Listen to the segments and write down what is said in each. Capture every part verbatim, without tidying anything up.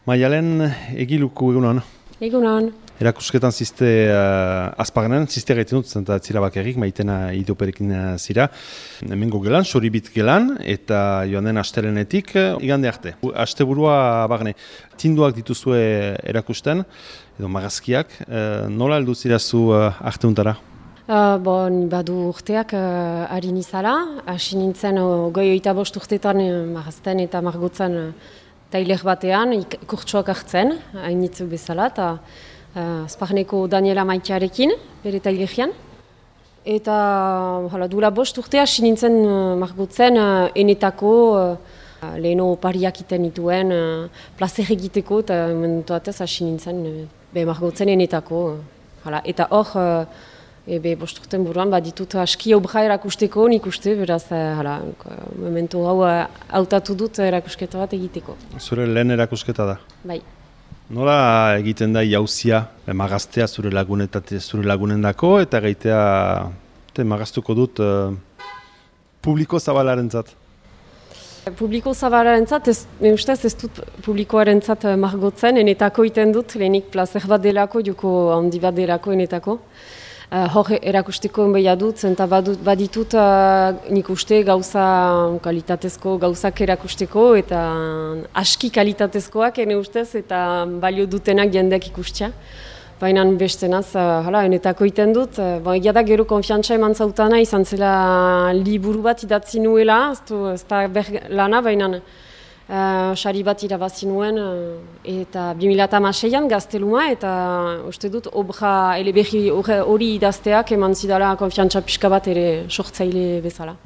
Maialen egiluku egunon. Egunon. Erakusketan ziste uh, azpaganen, ziste gaiten dut, zenta zira bakarrik, maitena idoperekin zira. Hemengo gelan, soribit gelan, eta joan den astelenetik, igande arte. Asteburua bagne, tinduak dituzue erakusten, edo magazkiak, uh, nola heldu zirazu uh, arteuntara? Uh, bon, badu urteak uh, ari nizala, hasi nintzen uh, goi oita bost urtetan uh, marazten eta margotzen uh, tailer batean, kurtsuak hartzen, hainitzu bezala, eta uh, Azparneko Daniela Maitearekin, bere tailerian. Eta hala, duela bost urte hasi nintzen uh, margotzen uh, enetako uh, leheno pariak iten dituen, uh, plazer egiteko, eta momentuatez hasi nintzen uh, be margotzen enetako. Uh, hala. Eta hor, uh, Ebe, bost urten buruan, bat ditut aski obra erakusteko, nik uste, beraz, hala, momentu hau hautatu dut erakusketa bat egiteko. Zure lehen erakusketa da? Bai. Nola egiten da jauzia, magaztea zure lagunetate zure lagunendako, eta gaitea, te magaztuko dut, uh, publiko zabalarentzat? Publiko zabalarentzat, ez, ustez ez dut publikoarentzat margotzen, enetako iten dut, lehenik plazer bat delako, joko handi bat delako enetako. Uh, hor erakusteko enbeia dut, zenta badut, baditut uh, nik uste gauza kalitatezko gauzak erakusteko eta aski kalitatezkoak ene ustez eta balio dutenak jendeak ikustia. Baina bestenaz, uh, hala, enetako iten dut, uh, ba, egia da gero konfiantza eman zautana izan zela liburu bat idatzi nuela, ez da ber lana, baina Uh, sari bat irabazi nuen uh, eta bi mila hamaseian gazteluma eta uste dut obra eleberri hori idazteak eman zidala konfiantza pixka bat ere sortzaile bezala.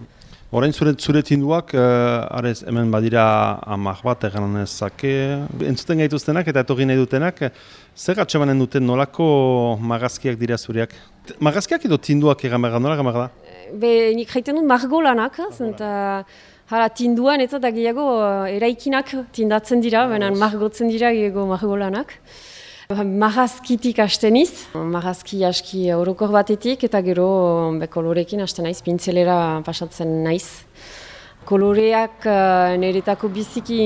Orain zure, zure tinduak, uh, arez, hemen badira amak bat egan nezake, entzuten gaituztenak eta etorri nahi dutenak, zer atxemanen duten nolako magazkiak dira zureak? Magazkiak edo tinduak egan behar, nola egan behar da? Be, nik jaiten dut margolanak, zenta hala, tinduan eta da gehiago uh, eraikinak tindatzen dira, baina margotzen dira gehiago margolanak. Marazkitik hasten niz, marazki aski orokor batetik eta gero be, kolorekin hasten naiz, pintzelera pasatzen naiz. Koloreak uh, niretako biziki,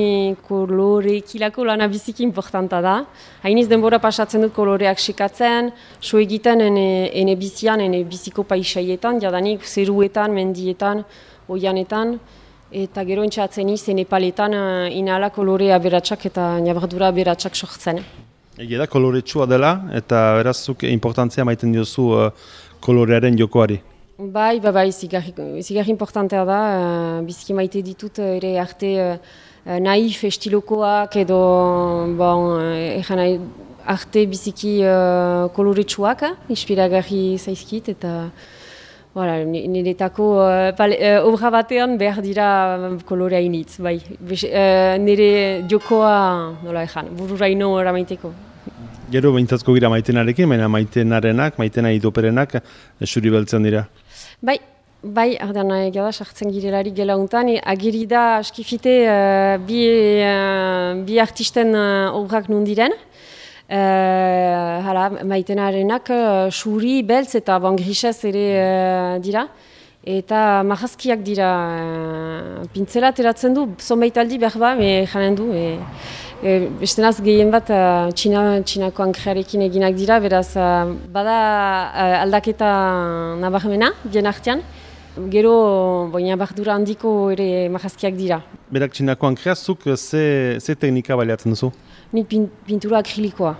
kolorekilako lana biziki importanta da. Hainiz denbora pasatzen dut koloreak sekatzen, so egiten ene, ene bizian, ene biziko paisaietan, jadanik zeruetan, mendietan, oianetan. Eta gero entxatzen izen epaletan uh, inala kolore aberatsak eta nabardura aberatsak sortzen. Egia da koloretsua dela eta berazuk importantzia maiten diozu uh, kolorearen jokoari. Bai, bai, bai, zigarri importantea da, uh, biziki maite ditut ere arte uh, naif estilokoak edo bon, uh, nahi, arte biziki uh, koloretsuak, uh, inspiragarri zaizkit eta voilà, niretako uh, uh, obra batean behar dira kolorea initz, bai. Uh, nire jokoa, nola ezan, bururaino eramaiteko. Gero behintzatko gira maitenarekin, baina maitenarenak, maitena idoperenak, esuri beltzen dira. Bai, bai, ardan egia da, sartzen girelari gela untan, agiri da askifite uh, bi, uh, bi artisten uh, obrak nundiren. Uh, hala, maitenarenak uh, suri, beltz eta bon, grisez ere uh, dira. Eta marazkiak dira, uh, pintzela teratzen du, zonbait aldi behar ba, me janen du. E, e, bestenaz gehien bat uh, txina, txinako ankrearekin eginak dira, beraz uh, bada uh, aldaketa nabarmena, bien artean. Gero, boina bardura handiko ere marazkiak dira. Berak txinako ankreazuk, ze, ze teknika baliatzen duzu? Nik pin, pintura akrilikoa,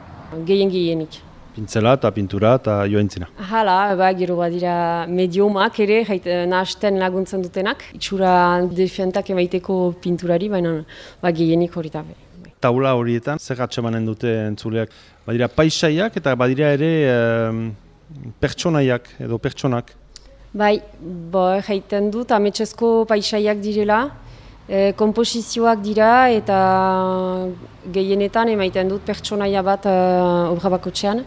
gehien gehienik. Pintzela eta pintura eta joaintzina. Hala, ba, gero badira mediomak ere, nahasten laguntzen dutenak. Itxura defentak emaiteko pinturari, baina ba, gehienik hori da. Taula horietan, zer atxemanen dute entzuleak? Badira paisaiak eta badira ere um, pertsonaiak edo pertsonak. Bai, bo, jaiten dut, ametsezko paisaiak direla. E, komposizioak dira eta gehienetan emaiten dut pertsonaia bat uh, obra bakotxean.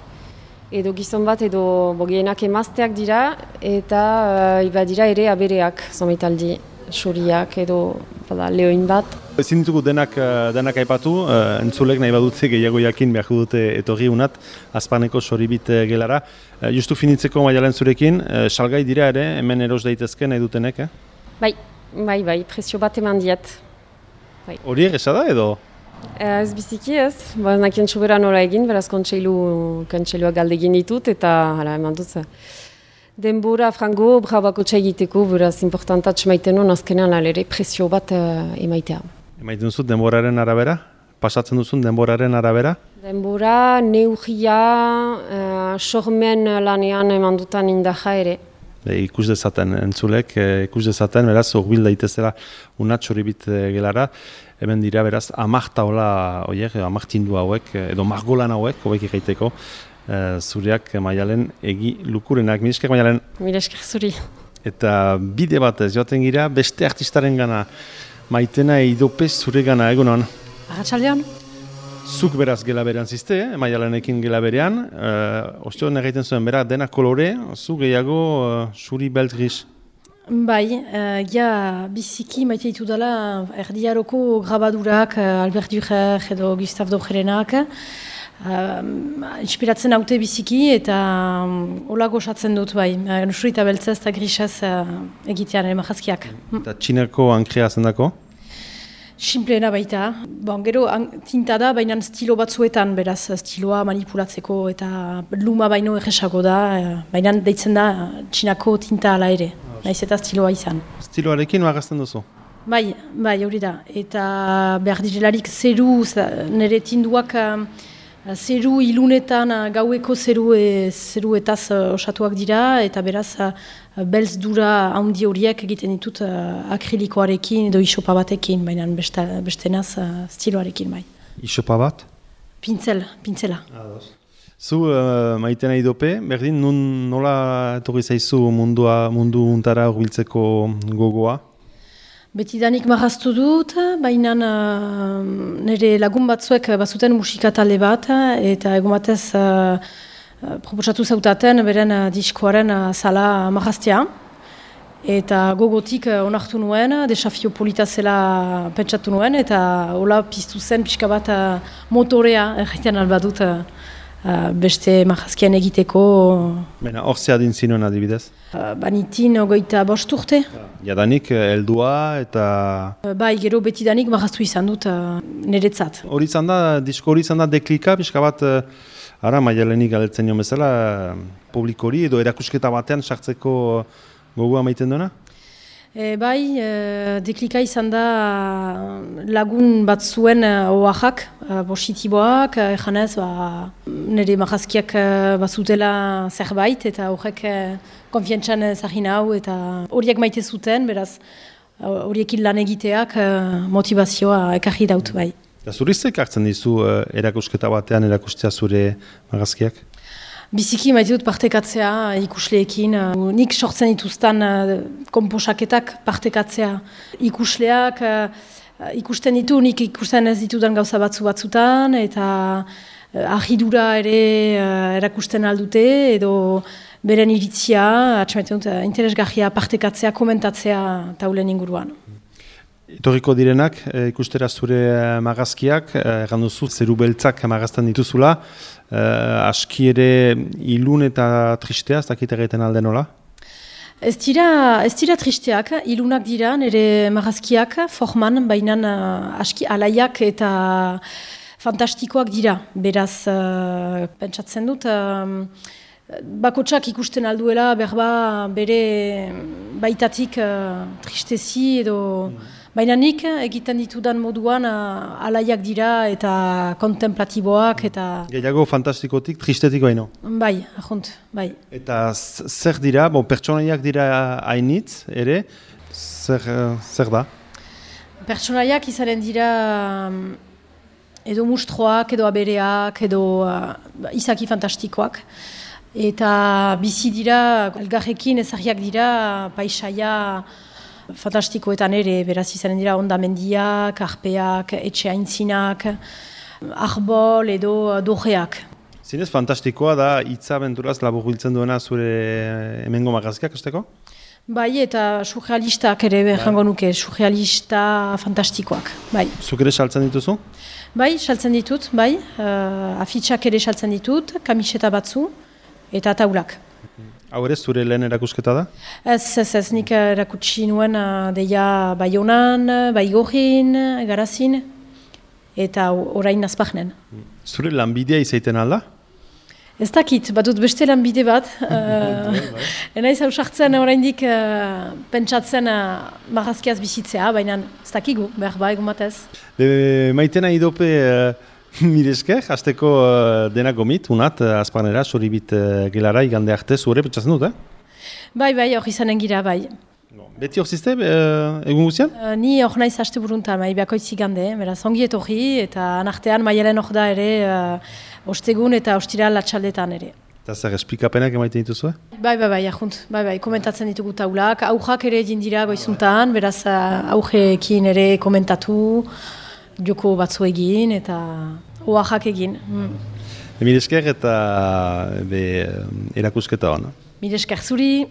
Edo gizon bat edo gehienak emazteak dira eta uh, iba dira ere abereak, zometaldi, suriak edo bada, lehoin bat. Ezin ditugu denak, denak aipatu, uh, entzulek nahi badutze gehiago jakin behar dute etorri unat, Azparneko soribit gelara. Uh, justu finitzeko Maialen zurekin, uh, salgai dira ere, hemen eros daitezke nahi dutenek, eh? Bai. Bai, bai, presio bat eman diet. Hori egesa da edo? Ez biziki ez, ba, nakien txubera nola egin, beraz kontseilu, kontseilua galdegin ditut, eta hala eman dut. Denbora frango, brabako txaigiteko, beraz importantat maiten hon azkenean alere presio bat uh, emaitea. Emaiten duzut denboraren arabera? Pasatzen duzun denboraren arabera? Denbora, neurria, uh, sormen lanean eman dutan indaja ere. E, ikus dezaten entzulek, e, ikus dezaten, beraz, urbil daitezela unatx hori bit e, gelara, hemen dira, beraz, amarta hola, oiek, amartindu hauek, edo margolan hauek, hauek egiteko, e, zureak Maialen egi lukurenak. Mil esker, Maialen? Mil esker zuri. Eta bide batez, joaten gira, beste artistaren gana, Maitena Eidopez zure gana, egunon? Arratsaldean. Zuk beraz gela berean zizte, eh? Maialenekin gela berean. Uh, Osteo egiten zuen, berak dena kolore, zu gehiago uh, suri belt gris. Bai, uh, ja biziki maite ditu dela erdiaroko grabadurak, uh, Albert Dürer edo Gustave Dorjerenak. Uh, inspiratzen haute biziki eta um, hola gozatzen dut bai. Uh, Suri eta beltzez eta grisez uh, egitean emahazkiak. Eta txinako ankrea zendako? Simpleena baita. Bon, gero tinta da, baina stilo batzuetan, beraz, stiloa manipulatzeko eta luma baino erresago da, baina deitzen da txinako tinta ala ere, naiz eta stiloa izan. Stiloarekin magazten duzu? Bai, bai, hori da. Eta behar direlarik zeru, nire tinduak zeru ilunetan, gaueko zeru, e, zeru etaz osatuak dira, eta beraz, belz dura handi horiek egiten ditut uh, akrilikoarekin edo isopa batekin, baina beste, beste naz uh, stiloarekin bai. Isopa bat? Pintzel, pintzela. Zu uh, Maitena Eidope, berdin nun nola etorri zaizu mundua, mundu untara urbiltzeko gogoa? Betidanik marraztu dut, baina uh, nire lagun batzuek bazuten musika talde bat, eta egun batez uh, proposatu zautaten beren uh, diskoaren uh, sala marraztea. Eta gogotik uh, onartu nuen, desafio polita zela pentsatu nuen, eta hola piztu zen pixka bat uh, motorea erraiten albadut uh, uh, beste marrazkian egiteko. Bena, hor zehadin zinuen adibidez? Uh, banitin ogoita bost urte. Jadanik heldua eta... Uh, bai, gero betidanik marraztu izan dut uh, niretzat. Hori izan da, disko hori izan da deklika, pixka bat... Uh, Ara, Maialenik galdetzen joan bezala, publikori edo erakusketa batean sartzeko gogoa maiten duena? E, bai, e, deklika izan da lagun bat zuen oaxak, positiboak, ejanez, ba, nire marrazkiak bazutela zerbait, eta horrek konfiantzan zagin hau, eta horiek maite zuten, beraz, horiekin lan egiteak motivazioa ekarri daut bai. Zuriztek hartzen dizu uh, erakusketa batean erakustea zure marrazkiak? Biziki maite dut partekatzea ikusleekin. Uh, nik sortzen dituzten uh, komposaketak partekatzea ikusleak. Uh, ikusten ditu, nik ikusten ez ditudan gauza batzu batzutan, eta uh, ahidura ere uh, erakusten aldute, edo beren iritzia, atxamaiten dut, uh, interesgarria partekatzea, komentatzea taulen inguruan. Etorriko direnak, e, ikustera zure magazkiak, egan duzu, zeru beltzak magazten dituzula, e, aski ere ilun eta tristea, ez dakit egiten alde nola? Ez dira, ez dira tristeak, ilunak dira, nire magazkiak forman, baina aski alaiak eta fantastikoak dira. Beraz, uh, pentsatzen dut, uh, bakotsak ikusten alduela, berba bere baitatik uh, tristezi edo... Mm. Baina nik egiten ditudan moduan uh, alaiak dira eta kontemplatiboak eta... Gehiago fantastikotik, tristetik baino. Bai, ahunt, bai. Eta zer dira, bon, pertsonaiak dira hainitz ere, zer, zer da? Pertsonaiak izanen dira um, edo mustroak, edo abereak, edo uh, izaki fantastikoak. Eta bizi dira, elgarrekin ezarriak dira, paisaia... fantastikoetan ere, beraz izanen dira ondamendiak, arpeak, etxe aintzinak, arbol edo dojeak. Zinez fantastikoa da hitza abenturaz labur biltzen duena zure hemengo magazkiak, esteko? Bai, eta surrealistak ere jango nuke, surrealista fantastikoak, bai. Zuk ere saltzen dituzu? Bai, saltzen ditut, bai, uh, afitxak ere saltzen ditut, kamiseta batzu eta taulak. Hau ere, zure lehen erakusketa da? Ez, ez, ez, nik erakutsi nuen uh, deia Baionan, Baigorrin, Garazin, eta orain azpagnen. Zure lanbidea izaiten alda? Ez dakit, badut beste lanbide bat. uh, Enaiz hausartzen oraindik uh, pentsatzen uh, marrazkiaz bizitzea, baina ez dakigu, behar ba, egun batez. Be, maitena idope uh, miresker, hasteko uh, dena gomit, unat, uh, azpanera, soribit uh, gelara, igande arte, zure pentsatzen dut, eh? Bai, bai, hor izanen gira, bai. Beti hor zizte, uh, egun guzian? Uh, ni hor naiz haste buruntan, bai, behakoitz igande, beraz, ongi etorri, eta anartean maialen hor da ere, uh, ostegun eta ostira latxaldetan ere. Eta zer, esplikapenak emaiten dituzue? Bai, bai, bai, ahunt, bai, bai, komentatzen ditugu taulak, aujak ere egin dira goizuntan, beraz, uh, aujekin ere komentatu, joko batzu egin, eta oaxak egin. Mm. Mire esker eta be, erakusketa hona. Mire esker zuri.